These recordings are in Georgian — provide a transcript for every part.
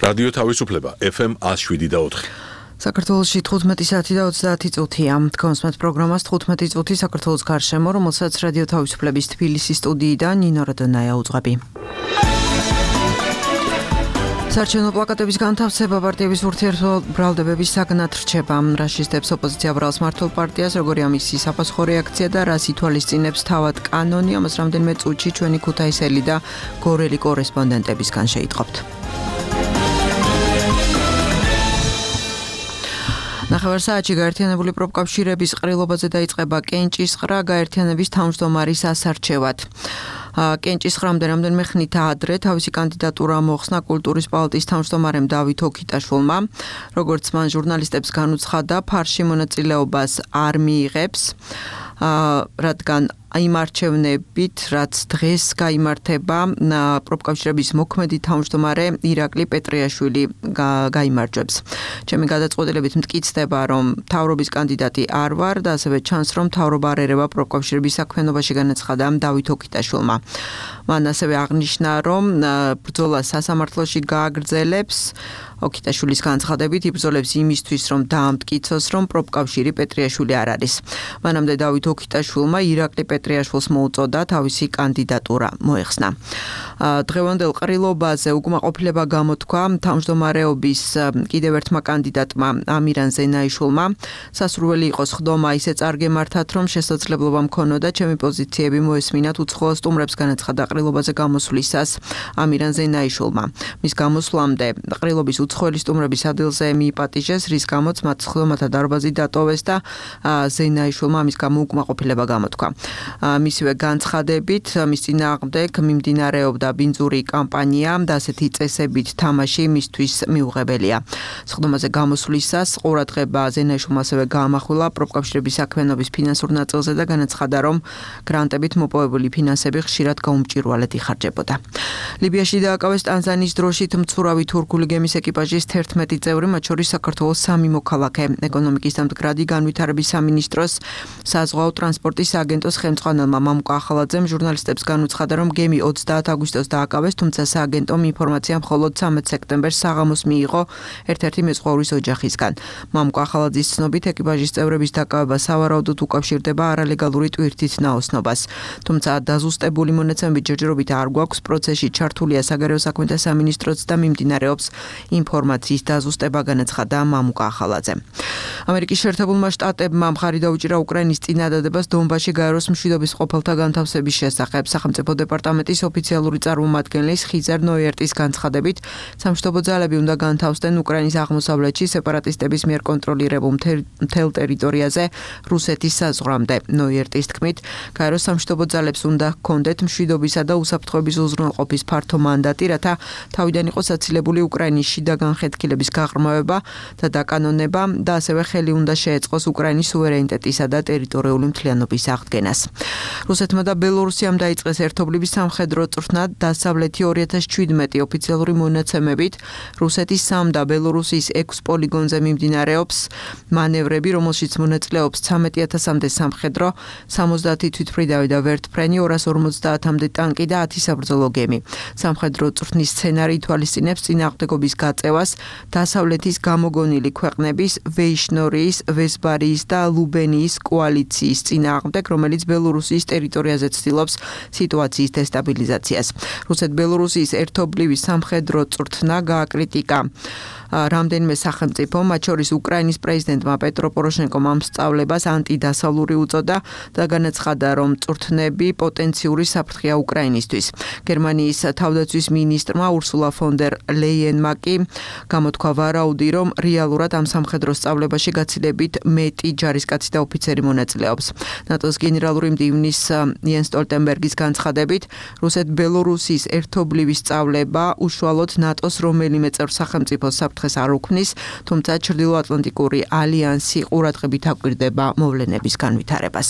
რადიო თავისუფლება FM 107.4. საქართველოში 15 საათი და 30 წუთია. თქვენს პროგრამას 15 წუთი საქართველოს გარშემო, რომელსაც რადიო თავისუფლების თბილისის სტუდიიდან ნინო რადონაია უძღვები. საარჩევნო პლაკატების განთავსება პარტიების ურთიერთბრალდებების საგნად რჩება. რა შეძებს ოპოზიცია ბრალს მართლ პარტიას, როგორი ამისი საფასურო რეაქცია და რას ითვალისწინებს თავად კანონი, ამას რამდენიმე წუთში ჩვენი ქუთაისელი და გორელი კორესპონდენტებისგან შეიტყობთ. ნახევარ საათში გაერთიანებული პროფკავშირების ყრილობაზე დაიწყება კენჭისყრა გაერთიანების თავმჯდომარის ასარჩევად. კენჭისყრამდე რამდენიმე ხნით ადრე თავისი კანდიდატურა მოხსნა კულტურის პალატის თავმჯდომარემ დავით ოქიტაშვილმა. როგორც მან ჟურნალისტებს განუცხადა, ფარში მონაწილეობას არ მიიღებს, რადგან იმ არჩევნებით, რაც დღეს გაიმართება, პროფკავშირების მოქმედი თავმჯდომარე ირაკლი პეტრიაშვილი გაიმარჯვებს. ჩემი გადაწყვეტილებით მტკიცდება, რომ მთავრობის კანდიდატი არ ვარ და ასევე ჩანს, რომ მთავრობა არ ერევა პროფკავშირების საქმიანობაში, განაცხადა დავით ოქიტაშვილმა. მან ასევე აღნიშნა, რომ ბრძოლა სასამართლოში გააგრძელებს. ოქიტაშვილის განცხადებით იბრძოლებს იმისთვის, რომ დაამტკიცოს, რომ პროფკავშირი პეტრიაშვილი არ არის. მანამდე დავით ოქიტაშვილმა ირაკლი პეტრიაშვილს მოუწოდა თავისი კანდიდატურა მოეხსნა. დღევანდელ ყრილობაზე უკმაყოფილება გამოთქვა თავმჯდომარეობის კიდევ ერთმა კანდიდატმა ამირან ზენაიშვილმა. სასურველი იყო სხდომა ისე წარგემართათ, რომ შესაძლებლობა მქონოდა ჩემი პოზიციები მოესმინათ უცხოელ სტუმრებს, განაცხადა ყრილობაზე გამოსვლისას ამირან ზენაიშვილმა. მის გამოსვლამდე ყრილობის უცხოელი სტუმრების ადგილზე მიიპატიჟეს, რის გამოც მათ სხდომათა დარბაზი დატოვეს და ზენაიშვილმა ამის გამო უკმაყოფილება გამოთქვა. მისივე განცხადებით, მის წინააღმდეგ მიმდინარეობდა ბინძური კამპანია და ასეთი წესებით თამაში მისთვის მიუღებელია. სხდომაზე გამოსვლისას ყურადღება ზენაიშვილმა ასევე გაამახვილა პროფკავშირების საქმიანობის ფინანსურ ნაწილზე და განაცხადა, რომ გრანტებით მოპოვებული ფინანსები ხშირად გაუმჭირვალედ იხარჯებოდა. ლიბიაში დააკავეს ტანზანიის დროშით მცურავი თურქული გემის ეკიპაჟის 11 წევრი, მათ შორის საქართველოს 3 მოქალაქე. ეკონომიკის და მდგრადი განვითარების სამინისტროს საზღვაო ტრანსპორტის სააგენტოს ხელმძღვანელმა მამუკა ახალაძემ ჟურნალისტებს განუცხადა, რომ გემი 20 აგვისტოს დააკავეს, თუმცა სააგენტომ ინფორმაცია მხოლოდ 13 სექტემბერს საღამოს მიიღო ერთ-ერთი მეზღვაურის ოჯახისგან. მამუკა ახალაძის ცნობით, ეკიპაჟის წევრების დაკავება სავარაუდოდ უკავშირდება არალეგალური ტვირთით ნაოსნობას. თუმცა დაზუსტებული მონაცემები ჯერჯერობით არ გვაქვს, პროცესში ჩართულია საგარეო საქმეთა სამინისტროც და მიმდინარეობს ინფორმაციის დაზუსტება, განაცხადა მამუკა ახალაძემ. ამერიკის შეერთებულმა შტატებმა მხარი დაუჭირა უკრაინის წინადადებას დონბასში გაეროს მშვიდობის ყოფილთა განთავსების შესახებ. სახელმწიფო დეპარტამენტის ოფიციალური წარმომადგენლის ხიზარ ნოიერტის განცხადებით, სამშვიდობო ძალები უნდა განთავსდნენ უკრაინის აღმოსავლეთში სეპარატისტების მიერ კონტროლირებულ მთელ ტერიტორიაზე რუსეთის საზღვრამდე. ნოიერტის თქმით, გაეროს სამშვიდობო ძალებს უნდა ჰქონდეთ მშვიდობისა და უსაფრთხოების უზრუნველყოფის ფართო მანდატი, რათა თავიდან იყოს აცილებული უკრაინის შიდა განხეთქილების გაღრმავება და დაკანონება და ასევე ხელი უნდა შეეწყოს უკრაინის სუვერენიტეტისა და ტერიტორიული მთლიანობის აღდგენას. რუსეთმა და ბელორუსიამ დაიწყეს ერთობლივი სამხედრო წვრთნა დასავლეთი 2017 ოფიციალური მონაცემებით რუსეთის 3 და ბელორუსის 6 პოლიგონზე მიმდინარეობს მანევრები, რომელშიც მონაწილეობს 13,000-მდე სამხედრო, 70 თვითმფრინავი და ვერტმფრენი, 250-მდე ტანკი და 10 საბრძოლო გემი. სამხედრო წვრთნის სცენარი ითვალისწინებს წინააღმდეგობის გაწევას დასავლეთის გამოგონილი ქვეყნების ვეიშნორიის, ვესბარიის და ლუბენიის კოალიციის წინააღმდეგ, რომელიც ბელორუსიის ტერიტორიაზე ცდილობს სიტუაციის დესტაბილიზაციას. რუსეთ-ბელორუსიის ერთობლივი სამხედრო წვრთნა გააკრიტიკა რამდენიმე სახელმწიფო, მათ შორის უკრაინის პრეზიდენტმა პეტრო პოროშენკომ ამ სწავლებას ანტიდასავლური უწოდა და განაცხადა, რომ წვრთნები პოტენციური საფრთხეა უკრაინისთვის. გერმანიის თავდაცვის მინისტრმა ურსულა ფონ დერ ლეიენმა კი გამოთქვა ვარაუდი, რომ რეალურად ამ სამხედრო სწავლებაში გაცილებით მეტი ჯარისკაცი და ოფიცერი მონაწილეობს. ნატოს გენერალური მდივნის იენს სტოლტენბერგის განცხადებით, რუსეთ-ბელორუსის ერთობლივი სწავლება უშუალოდ ნატოს რომელიმე წევრ სახელმწიფოს საფრთხეს არ უქმნის, თუმცა ჩრდილოატლანტიკური ალიანსი ყურადღებით აკვირდება მოვლენების განვითარებას.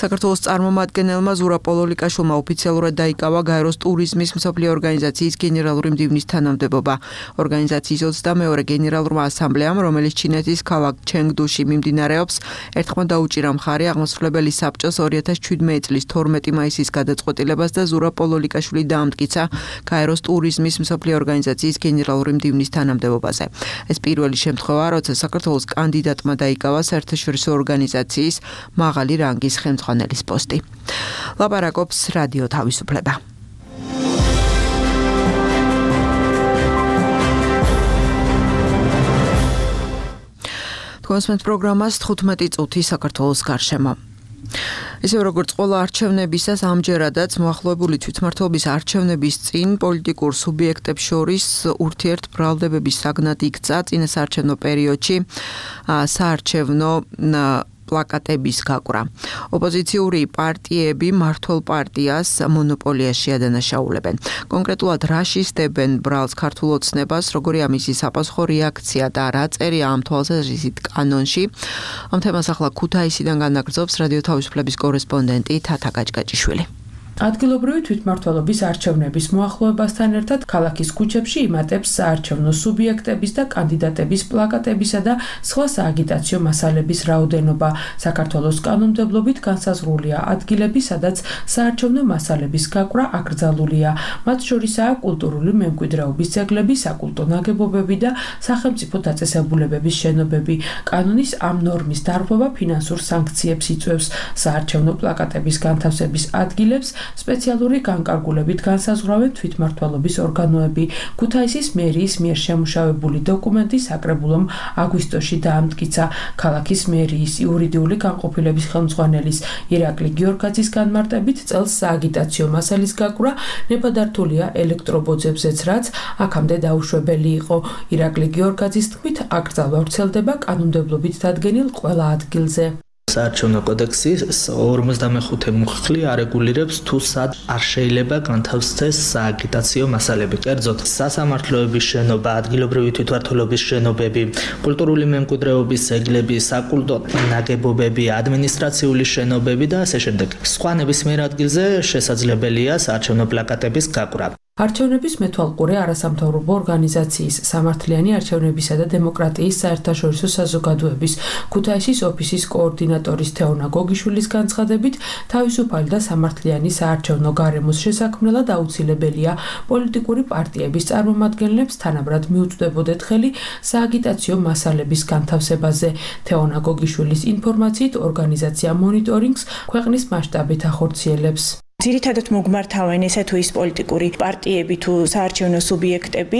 საქართველოს წარმომადგენელმა ზურაბ პოლოლიკაშვილმა ოფიციალურად დაიკავა გაეროს ტურიზმის მსოფლიო ორგანიზაციის გენერალური მდივნის თანამდებობა. ორგანიზაციის 22-მე გენერალურმა ასამბლეამ, რომელიც ჩინეთის ქალაქ ჩენგდუში მიმდინარეობს, ერთხმად დაუჭირა მხარი აღმასრულებელი საბჭოს 2017 წლის 12 მაისის გადაწყვეტილებას და ზურაბ პოლოლიკაშვილი დაამტკიცა გაეროს ტურიზმის მსოფლიო ორგანიზაციის გენერალური მდივნის თანამდებობაზე. ეს პირველი შემთხვევა, როცა საქართველოს კანდიდატმა დაიკავა საერთაშორისო ორგანიზაციის მაღალი რანგის ხელმძღვანელის პოსტი. ლაპარაკობს რადიო თავისუფლება. კონსმენტ პროგრამას 15 წუთი საქართველოს გარშემო. ისე როგორც ყველა არჩევნებისას ამჯერადაც მოახლოებული თვითმმართველობის არჩევნების წინ პოლიტიკურ სუბიექტებს შორის ურთიერთბრალდებების საგნად იქცა წინასაარჩევნო პერიოდში საარჩევნო პლაკატების გაკვრა. ოპოზიციური პარტიები მმართველ პარტიას მონოპოლიაში ადანაშაულებენ. კონკრეტულად რა შისდებენ ბრალს ქართულ ოცნებას, როგორია მისი საპასუხო რეაქცია და რა წერია ამ თვალსაზრისით კანონში. ამ თემას ახლა ქუთაისიდან განაგრძობს რადიო თავისუფლების კორესპონდენტი თათა გაჭგაჭიშვილი. ადგილობრივი თვითმმართველობის არჩევნების მოახლოებასთან ერთად ქალაქის ქუჩებში იმატებს საარჩევნო სუბიექტების და კანდიდატების პლაკატებისა და სხვა სააგიტაციო მასალების რაოდენობა. საქართველოს კანონმდებლობით განსაზღვრულია ადგილები, სადაც საარჩევნო მასალების გაკვრა აკრძალულია. მათ შორისაა კულტურული მემკვიდრეობის ძეგლები, საკულტო ნაგებობები და სახელმწიფო დაწესებულებების შენობები. კანონის ამ ნორმის დარღვევა ფინანსურ სანქციებს იწვევს. საარჩევნო პლაკატების განთავსების ადგილებს სპეციალური განკარგულებით განსაზღვრავენ თვითმმართველობის ორგანოები. ქუთაისის მერიის მიერ შემუშავებული დოკუმენტი საკრებულომ აგვისტოში დაამტკიცა. ქალაქის მერიის იურიდიული განყოფილების ხელმძღვანელის ირაკლი გიორგაძის განმარტებით წელს სააგიტაციო მასალის გაკვრა ნებადართულია ელექტრობოძებზეც, რაც აქამდე დაუშვებელი იყო. ირაკლი გიორგაძის თქმით, აკრძალვა ვრცელდება კანონმდებლობით დადგენილ ყველა ადგილზე. საარჩევნო კოდექსის 55 მუხლი არეგულირებს თუ სად არ შეიძლება განთავსდეს სააგიტაციო მასალები. კერძოდ, სასამართლოების შენობა, ადგილობრივი თვითმმართველობის შენობები, კულტურული მემკვიდრეობის ძეგლები, საკულტო ნაგებობები, ადმინისტრაციული შენობები და ასე შემდეგ. სხვა ნებისმიერ ადგილზე შესაძლებელია საარჩევნო პლაკატების გაკვრა. არჩევნების მეთვალყურე არასამთავრობო ორგანიზაციის სამართლიანი არჩევნებისა და დემოკრატიის საერთაშორისო საზოგადოების ქუთაისის ოფისის კოორდინატორის თეონა გოგიშვილის განცხადებით, თავისუფალი და სამართლიანი საარჩევნო გარემოს შესაქმნელად აუცილებელია პოლიტიკური პარტიების წარმომადგენლებს თანაბრად მიუწვდებოდეთ ხელი სააგიტაციო მასალების განთავსებაზე. თეონა გოგიშვილის ინფორმაციით, ორგანიზაცია მონიტორინგს ქვეყნის მასშტაბით ახორციელებს. ძირითადად მოგმართავენ ესე თუ ის პოლიტიკური პარტიები თუ საარჩევნო სუბიექტები,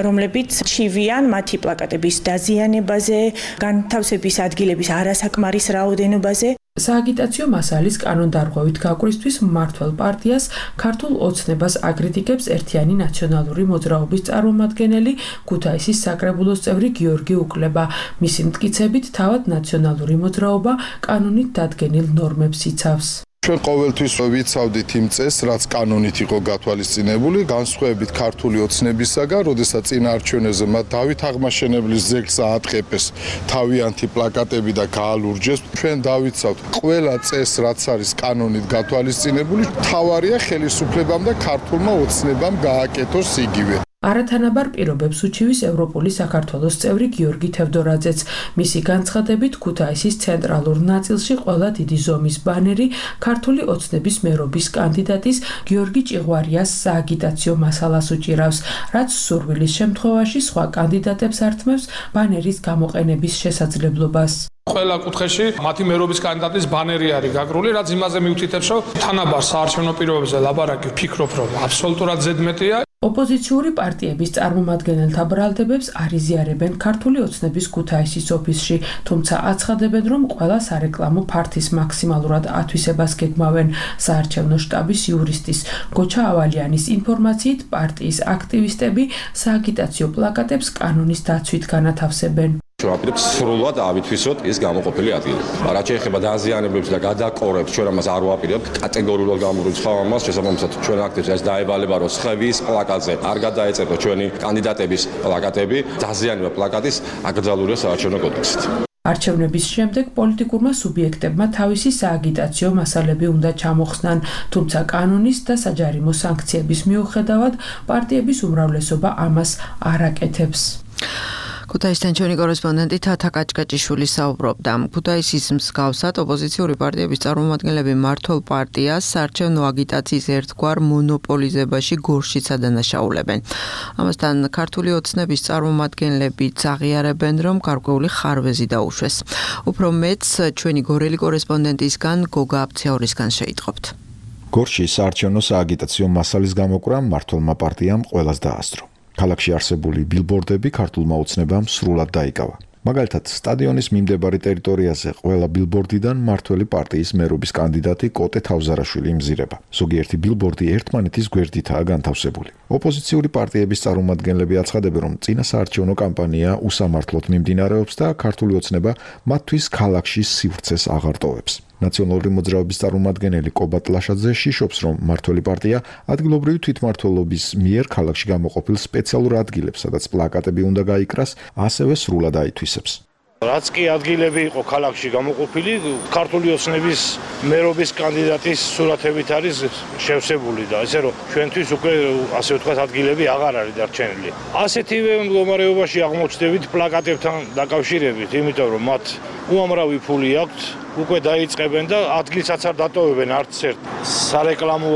რომლებიც ჩივიან მათი პლაკატების დაზიანებაზე, განთავსების ადგილების არასაკმარის რაოდენობაზე. სააგიტაციო მასალის კანონდარღვევით გაკვრისთვის მმართველ პარტიას ქართულ ოცნებას აკრიტიკებს ერთიანი ნაციონალური მოძრაობის წარმომადგენელი ქუთაისის საკრებულოს წევრი გიორგი უკლება. მისი მტკიცებით, თავად ნაციონალური მოძრაობა კანონით დადგენილ ნორმებს იცავს. ჩვენ ყოველთვის ვიცავდით იმ წესს, რაც კანონით იყო გათვალისწინებული, განსხვავებით ქართული ოცნებისაგან, როდესაც წინა არჩევნებზე მათ დავით აღმაშენებლის ძეგლს აატყეპეს თავიანთი პლაკატები და გაალურჯეს. ჩვენ დავიცავთ ყველა წესს, რაც არის კანონით გათვალისწინებული, თავარია ხელისუფლებამ და ქართულმა ოცნებამ გააკეთოს იგივე. არათანაბარ პირობებს უჩივის ევროპული საქართველოს წევრი გიორგი თევდორაძეც. მისი განცხადებით, ქუთაისის ცენტრალურ ნაწილში ყველა დიდი ზომის ბანერი ქართული ოცნების მერობის კანდიდატის გიორგი ჭიღვარიას სააგიტაციო მასალას უჭირავს, რაც სურვილის შემთხვევაში სხვა კანდიდატებს ართმევს ბანერის გამოყენების შესაძლებლობას. ყველა კუთხეში მათი მერობის კანდიდატის ბანერი არის გაგრული, რაც იმაზე მიუთითებს, რომ თანაბარ საარჩევნო პირობებზე ლაპარაკი ვფიქრობ, რომ აბსოლუტურად ზედმეტია. ოპოზიციური პარტიების წარმომადგენელთა ბრალდებებს არ იზიარებენ ქართული ოცნების ქუთაისის ოფისში, თუმცა აცხადებენ, რომ ყველა სარეკლამო ფართის მაქსიმალურად ათვისებას გეგმავენ. საარჩევნო შტაბის იურისტის გოჩა ავალიანის ინფორმაციით, პარტიის აქტივისტები სააგიტაციო პლაკატებს კანონის დაცვით განათავსებენ. ჩვენ ვაპირებთ სრულად ავითვისოთ ის გამოყოფილი ადგილი. რაც შეეხება დაზიანებებს და გადაკორებს, ჩვენ ამას არ ვაპირებთ. კატეგორიულად გამორიცხავ ამას, შესაბამისად ჩვენ აქტებს ეს დაევალება, რომ სხევის პლაკატზე არ გადაეწევთ ჩვენი კანდიდატების პლაკატები, დაზიანება პლაკატის აკრძალულია საარჩევნო კოდექსით. არჩევნების შემდეგ პოლიტიკურმა სუბიექტებმა თავისი სააგიტაციო მასალები უნდა ჩამოხსნან, თუმცა კანონის და საჯარიმო სანქციების მიუხედავად პარტიების უმრავლესობა ამას არ აკეთებს. ქუთაისთან ჩვენი კორესპონდენტი თათა კაჭკაჭიშვილი საუბრობდა. ქუთაისის მსგავსად ოპოზიციური პარტიების წარმომადგენლები მმართველ პარტიას საარჩევნო აგიტაციის ერთგვარ მონოპოლიზებაში გორშიც ადანაშაულებენ. ამასთან ქართული ოცნების წარმომადგენლებიც აღიარებენ, რომ გარკვეული ხარვეზი დაუშვეს. უფრო მეც ჩვენი გორელი კორესპონდენტისგან გოგა აფციაურისგან შეიტყობთ. გორში საარჩევნო სააგიტაციო მასალის გამოკვრა მმართველმა პარტიამ ყველას დაასწრო. ქალაქში არსებული ბილბორდები ქართულმა ოცნებამ სრულად დაიკავა. მაგალითად, სტადიონის მიმდებარე ტერიტორიაზე ყველა ბილბორდიდან მმართველი პარტიის მერობის კანდიდატი კოტე თავზარაშვილი იმზირება. ზოგიერთი ბილბორდი ერთმანეთის გვერდითაა განთავსებული. ოპოზიციური პარტიების წარმომადგენლები აცხადებენ, რომ წინა საარჩევნო კამპანია უსამართლოდ მიმდინარეობს და ქართული ოცნება მათთვის ქალაქში სივრცეს აღარ ტოვებს. ნაციონალური მოძრაობის წარმომადგენელი კობატ ლაშაძე შიშობს, რომ მმართველი პარტია ადგილობრივი თვითმმართველობის მიერ ქალაქში გამოყოფილ სპეციალურ ადგილებს, სადაც პლაკატები უნდა გაიკრას, ასევე სრულად აითვისებს. რაც კი ადგილები იყო ქალაქში გამოყოფილი, ქართული ოცნების მერობის კანდიდატის სურათებით არის შევსებული და ესე რომ ჩვენთვის უკვე ასე ვთქვათ ადგილები აღარ არის დარჩენილი. ასეთივე მდგომარეობაში აღმოჩნდებით პლაკატებთან დაკავშირებით, იმიტომ რომ მათ უამრავი ფული აქვთ, უკვე დაიწყებენ და ადგილსაც არ დატოვებენ არც ერთ სარეკლამო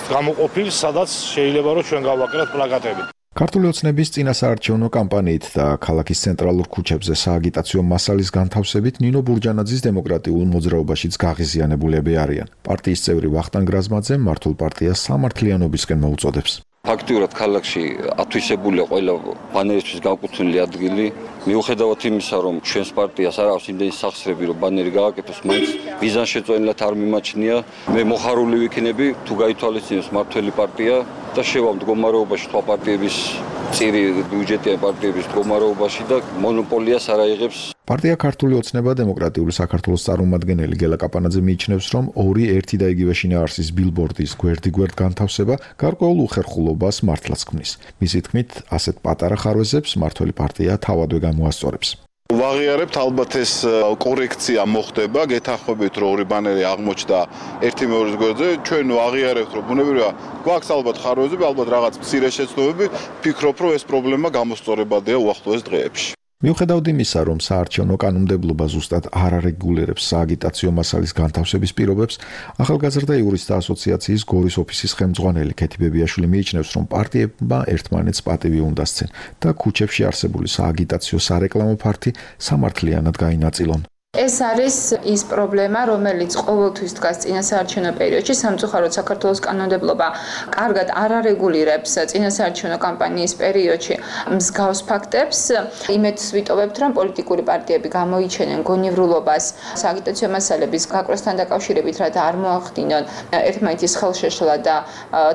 გამოყოფილს, სადაც შეიძლება რომ ჩვენ გავაკეთოთ პლაკატები. ქართული ოცნების წინა საარჩევნო კამპანიით და ქალაქის ცენტრალურ ქუჩებზე სააგიტაციო მასალის განთავსებით ნინო ბურჯანაძის დემოკრატიულ მოძრაობაშიც გაღიზიანებულები არიან. პარტიის წევრი ვახტანგ რაზმაძე მმართველ პარტიას სამართლიანობისკენ მოუწოდებს. ფაქტიურად ქალაქში ათვისებულია ყველა ბანერისთვის განკუთვნილი ადგილი. მიუხედავად იმისა, რომ ჩვენს პარტიას არ აქვს იმდენი სახსრები, რომ ბანერი გააკეთოს, მაინც მიზანშეწონილად არ მიმაჩნია. მე მოხარული ვიქნები, თუ გაითვალისწინებს მმართველი პარტია და შევა მდგომარეობაში სხვა პარტიების წირი ბიუჯეტიან პარტიების მდგომარეობაში და მონოპოლიას არ აიღებს. პარტია ქართული ოცნება დემოკრატიული საქართველოს წარმომადგენელი გელა კაპანაძე მიიჩნევს, რომ ორი ერთი და იგივე შინაარსის ბილბორდის გვერდ-გვერდ განთავსება გარკვეულ უხერხულობას მართლაც ქმნის. მისი თქმით, ასეთ პატარა ხარვეზებს მმართველი პარტია თავადვე გამოასწორებს. ვაღიარებთ, ალბათ ეს კორექცია მოხდება, გეთანხმებით, რომ ორი ბანერი აღმოჩნდა ერთი მეორის გვერდზე, ჩვენ ვაღიარებთ, რომ ბუნებრივია გვაქვს ალბათ ხარვეზები, ალბათ რაღაც მცირე შეცდომები, ვფიქრობ, რომ ეს პრობლემა გამოსწორებადია უახლოეს დღეებში. მიუხედავად იმისა, რომ საარჩევნო კანონმდებლობა ზუსტად არ არეგულირებს სააგიტაციო მასალის განთავსების პირობებს, ახალგაზრდა იურისტთა ასოციაციის გორის ოფისის ხელმძღვანელი ქეთი ბებიაშვილი მიიჩნევს, რომ პარტიებმა ერთმანეთს პატივი უნდა სცენ და ქუჩებში არსებული სააგიტაციო სარეკლამო ფართი სამართლიანად გაინაწილონ. ეს არის ის პრობლემა, რომელიც ყოველთვის დგას წინა საარჩევნო პერიოდში. სამწუხაროდ საქართველოს კანონმდებლობა კარგად არ არეგულირებს წინა საარჩევნო კამპანიის პერიოდში მსგავს ფაქტებს. იმედს ვიტოვებთ, რომ პოლიტიკური პარტიები გამოიჩენენ გონივრულობას სააგიტაციო მასალების გაკვრასთან დაკავშირებით, რათა არ მოახდინონ ერთმანეთის ხელშეშლა და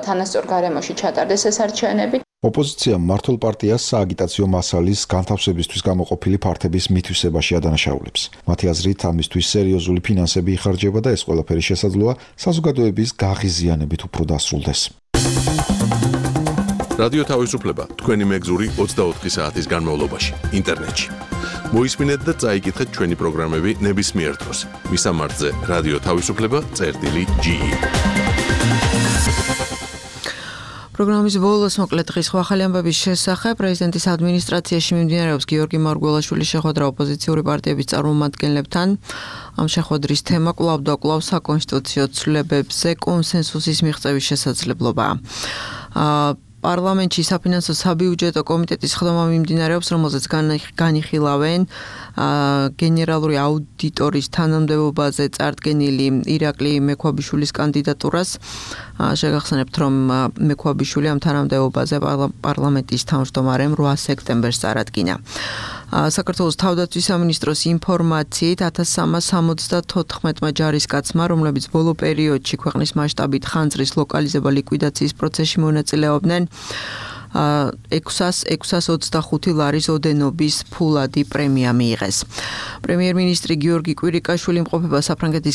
თანასწორ გარემოში ჩატარდეს ეს არჩევნები. ოპოზიცია მმართველ პარტიას სააგიტაციო მასალის განთავსებისთვის გამოყოფილი ფართების მითვისებაში ადანაშაულებს. მათი აზრით, ამისთვის სერიოზული ფინანსები იხარჯება და ეს ყველაფერი შესაძლოა საზოგადოების გაღიზიანებით უფრო დასრულდეს. რადიო თავისუფლება თქვენი მეგზური 24 საათის განმავლობაში ინტერნეტში. მოისმინეთ და წაიკითხეთ ჩვენი პროგრამები ნებისმიერ დროს. მისამართზე რადიო თავისუფლება.ge. პროგრამის ბოლოს მოკლედ დღის ახალი ამბების შესახებ პრეზიდენტის ადმინისტრაციაში მიმდინარეობს გიორგი მარგველაშვილის შეხვედრა ოპოზიციური პარტიების წარმომადგენლებთან. ამ შეხვედრის თემა კვლავ და კვლავ საკონსტიტუციო ცვლილებებზე კონსენსუსის მიღწევის შესაძლებლობაა. პარლამენტში საფინანსო საბიუჯეტო კომიტეტის ხდომა მიმდინარეობს, რომელზეც განიხილავენ გენერალური აუდიტორის თანამდებობაზე წარდგენილი ირაკლი მექვაბიშვილის კანდიდატურას. შეგახსენებთ, რომ მექვაბიშვილი ამ თანამდებობაზე პარლამენტის თავმჯდომარემ 8 სექტემბერს წარადგინა. საქართველოს თავდაცვის სამინისტროს ინფორმაციით 1374-მა ჯარისკაცმა, რომლებიც ბოლო პერიოდში ქვეყნის მასშტაბით ხანძრის ლოკალიზება ლიკვიდაციის პროცესში მონაწილეობდნენ, 625 ლარის ოდენობის ფულადი პრემია მიიღეს. პრემიერ-მინისტრი გიორგი კვირიკაშვილი იმყოფება საფრანგეთის